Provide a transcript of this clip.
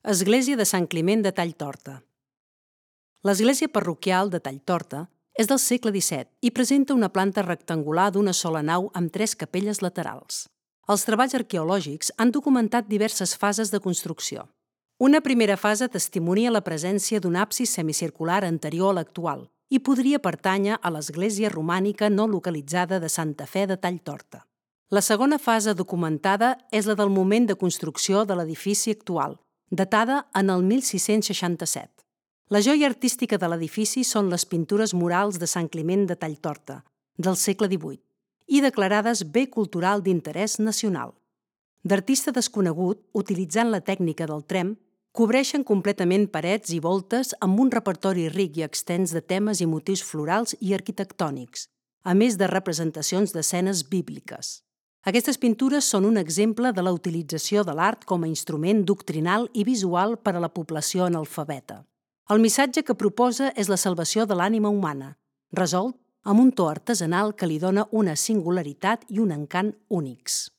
Església de Sant Climent de Talltorta. L'església parroquial de Talltorta és del segle XVII i presenta una planta rectangular d'una sola nau amb 3 capelles laterals. Els treballs arqueològics han documentat diverses fases de construcció. Una primera fase testimonia la presència d'un absis semicircular anterior a l'actual i podria pertànyer a l'església romànica no localitzada de Santa Fe de Talltorta. La segona fase documentada és la del moment de construcció de l'edifici actual, datada en el 1667. La joia artística de l'edifici són les pintures murals de Sant Climent de Talltorta, del segle XVIII, i declarades bé cultural d'interès nacional. D'artista desconegut, utilitzant la tècnica del tremp, cobreixen completament parets i voltes amb un repertori ric i extens de temes i motius florals i arquitectònics, a més de representacions d'escenes bíbliques. Aquestes pintures són un exemple de la utilització de l'art com a instrument doctrinal i visual per a la població analfabeta. El missatge que proposa és la salvació de l'ànima humana, resolt amb un to artesanal que li dona una singularitat i un encant únics.